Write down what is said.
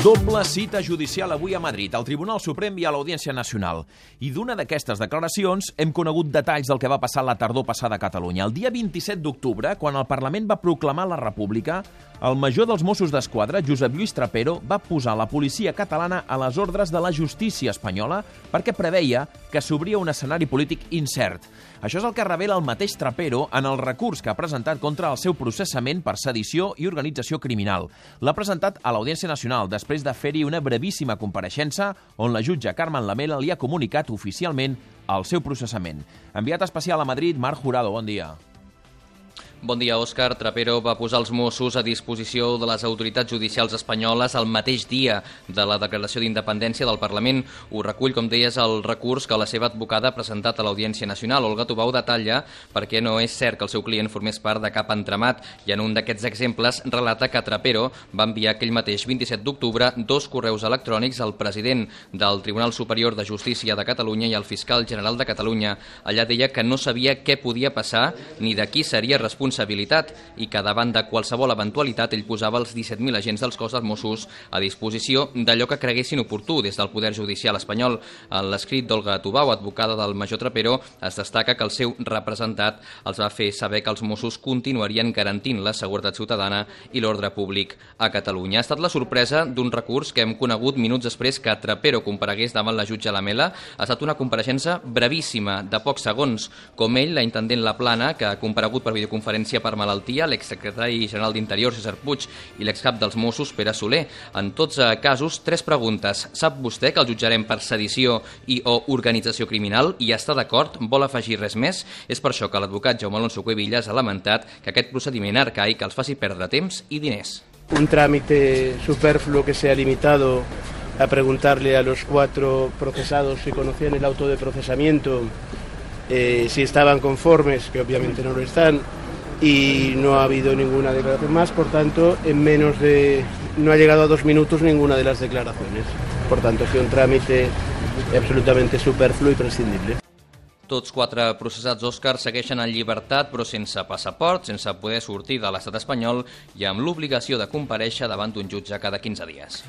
Doble cita judicial avui a Madrid, al Tribunal Suprem i a l'Audiència Nacional. I d'una d'aquestes declaracions hem conegut detalls del que va passar la tardor passada a Catalunya. El dia 27 d'octubre, quan el Parlament va proclamar la República, el major dels Mossos d'Esquadra, Josep Lluís Trapero, va posar la policia catalana a les ordres de la justícia espanyola perquè preveia que s'obria un escenari polític incert. Això és el que revela el mateix Trapero en el recurs que ha presentat contra el seu processament per sedició i organització criminal. L'ha presentat a l'Audiència Nacional després de fer-hi una brevíssima compareixença on la jutge Carmen Lamela li ha comunicat oficialment el seu processament. Enviat especial a Madrid, Marc Jurado, bon dia. Bon dia, Òscar. Trapero va posar els Mossos a disposició de les autoritats judicials espanyoles el mateix dia de la declaració d'independència del Parlament. Ho recull, com deies, el recurs que la seva advocada ha presentat a l'Audiència Nacional. Olga Tubau detalla perquè no és cert que el seu client formés part de cap entramat i en un d'aquests exemples relata que Trapero va enviar aquell mateix 27 d'octubre 2 correus electrònics al president del Tribunal Superior de Justícia de Catalunya i al fiscal general de Catalunya. Allà deia que no sabia què podia passar ni de qui seria responsabilitat i que davant de qualsevol eventualitat ell posava els 17.000 agents dels cos dels Mossos a disposició d'allò que creguessin oportú des del Poder Judicial espanyol. En l'escrit d'Olga Tubau, advocada del major Trapero, es destaca que el seu representat els va fer saber que els Mossos continuarien garantint la seguretat ciutadana i l'ordre públic a Catalunya. Ha estat la sorpresa d'un recurs que hem conegut minuts després que Trapero comparegués davant la jutge Lamela. Ha estat una compareixença brevíssima, de pocs segons. Com ell, la intendent Laplana, que ha comparegut per videoconferència per malaltia, l'exsecretari general d'Interior, César Puig, i l'excap dels Mossos, Pere Soler. En tots casos, 3 preguntes. Sap vostè que el jutjarem per sedició i o organització criminal i està d'acord? Vol afegir res més? És per això que l'advocat Jaume Alonso Cuevillas ha lamentat que aquest procediment arcaic els faci perdre temps i diners. Un trámite superfluo que se ha limitado a preguntarle a los 4 procesados si conocían el auto de procesamiento, si estaban conformes, que obviamente no lo están, y no ha habido ninguna declaración más, por tanto, no ha llegado a 2 minutos ninguna de las declaraciones. Por tanto, ha sido un trámite absolutamente superfluo y prescindible. Tots 4 processats, Òscar, segueixen en llibertat, però sense passaport, sense poder sortir de l'estat espanyol i amb l'obligació de comparèixer davant d'un jutge cada 15 dies.